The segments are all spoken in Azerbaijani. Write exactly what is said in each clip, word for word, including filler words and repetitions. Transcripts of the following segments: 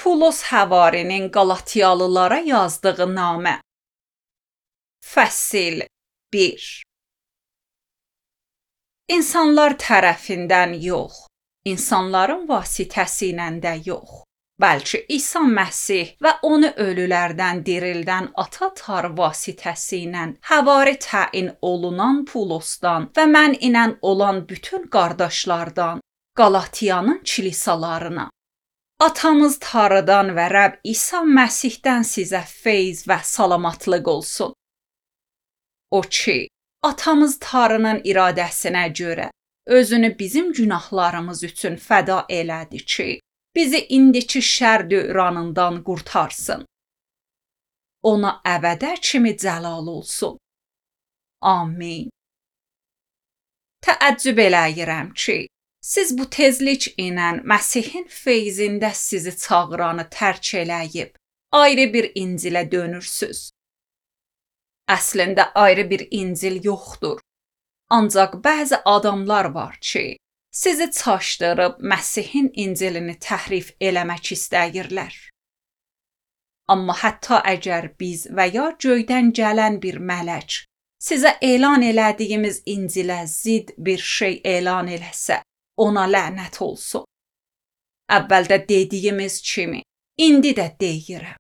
Pulos Həvarinin Qalatiyalılara yazdığı namə. Fəsil bir. İnsanlar tərəfindən yox, insanların vasitəsilə də yox, bəlkə İsa Məsih və onu ölülərdən dirildən Ata Tar vasitəsilə həvari təyin olunan Pulosdan və mən ilə olan bütün qardaşlardan Qalatiyanın kilisalarına. Atamız Tarıdan və Rəbb İsa Məsihdən sizə feyz və salamatlıq olsun. O ki, atamız Tarının iradəsinə görə özünü bizim günahlarımız üçün fəda elədi ki, bizi indiki şər dövranından qurtarsın. Ona əbədə kimi cəlal olsun. Amin. Təəccüb eləyirəm ki, siz bu tezlik ilə Məsihin feyzində sizi çağıranı tərk eləyib, ayrı bir İncilə dönürsüz. Əslində ayrı bir İncil yoxdur. Ancaq bəzi adamlar var ki, sizi çaşdırıb Məsihin İncilini təhrif eləmək istəyirlər. Amma hətta əgər biz və ya göydən gələn bir mələk sizə elan elədiyimiz İncilə zid bir şey elan eləsə, ona lənət olsun. Əvvəldə dediyimiz kimi, indi də deyirəm.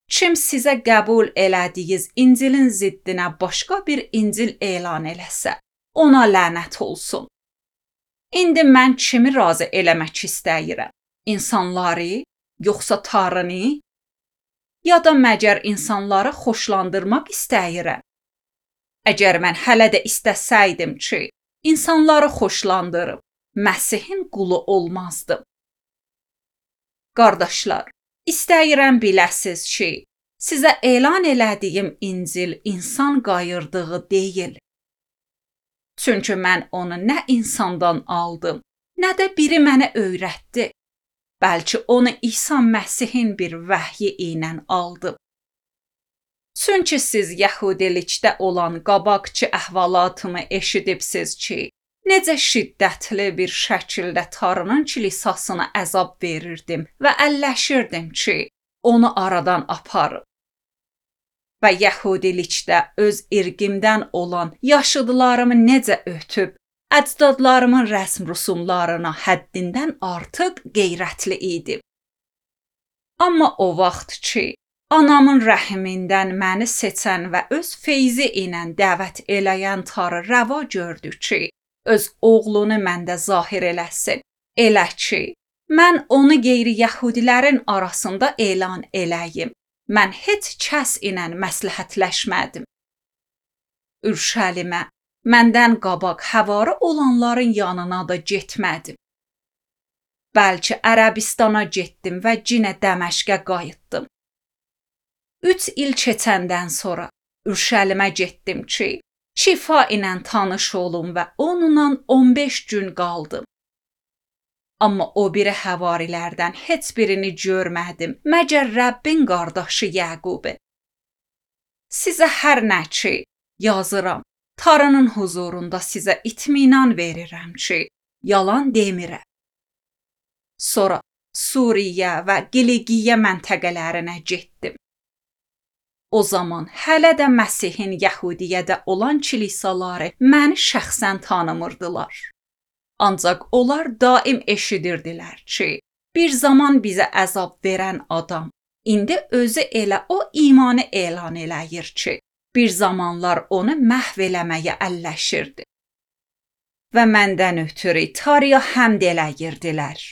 Kim sizə qəbul elədiyiniz İncilin ziddinə başqa bir İncil elan eləsə, ona lənət olsun. İndi mən kimi razı eləmək istəyirəm? İnsanları, yoxsa Tarını? Ya da məgər insanları xoşlandırmaq istəyirəm? Əgər mən hələ də istəsəydim ki, insanları xoşlandırıb, Məsihin qulu olmazdım. Qardaşlar, istəyirəm biləsiz ki, sizə elan elədiyim İncil insan qayırdığı deyil. Çünki mən onu nə insandan aldım, nə də biri mənə öyrətdi. Bəlkə onu İsa Məsihin bir vəhyi ilə aldım. Çünki siz yəhudilikdə olan qabaqçı əhvalatımı eşidibsiz ki, necə şiddətli bir şəkildə Tarının kilisasına əzab verirdim və əlləşirdim ki, onu aradan aparıb. Və yəhudilikdə öz irqimdən olan yaşıdlarımı necə ötüb, əcdadlarımın rəsm rüsumlarına həddindən artıq qeyrətli idim. Amma o vaxt ki, anamın rəhimindən məni seçən və öz feyzi ilə dəvət eləyən Tarı rəva gördü ki, öz oğlunu məndə zahir eləsin. Elə ki, mən onu qeyri-yəhudilərin arasında elan eləyim. Mən heç kəs ilə məsləhətləşmədim. Ürşəlimə, məndən qabaq həvarı olanların yanına da getmədim. Bəlkə Ərəbistana getdim və cinə Dəməşqə qayıtdım. Üç il keçəndən sonra Ürşəlimə getdim ki, şifa ilə tanış olum və onunla on beş gün qaldım. Amma o biri həvarilərdən heç birini görmədim, məgər Rəbbin qardaşı Yəqubi. Sizə hər nə ki, yazıram, Tarının huzurunda sizə itminan verirəm ki, yalan demirəm. Sonra Suriyə və Qiliqiyə məntəqələrinə getdim. O zaman hələ də Məsihin Yəhudiyyədə olan kilisaları məni şəxsən tanımırdılar. Ancaq onlar daim eşidirdilər ki, bir zaman bizə əzab verən adam, indi özü elə o imanı elan eləyir ki, bir zamanlar onu məhv eləməyə əlləşirdi. Və məndən ötürü Tarıya həmd eləyirdilər.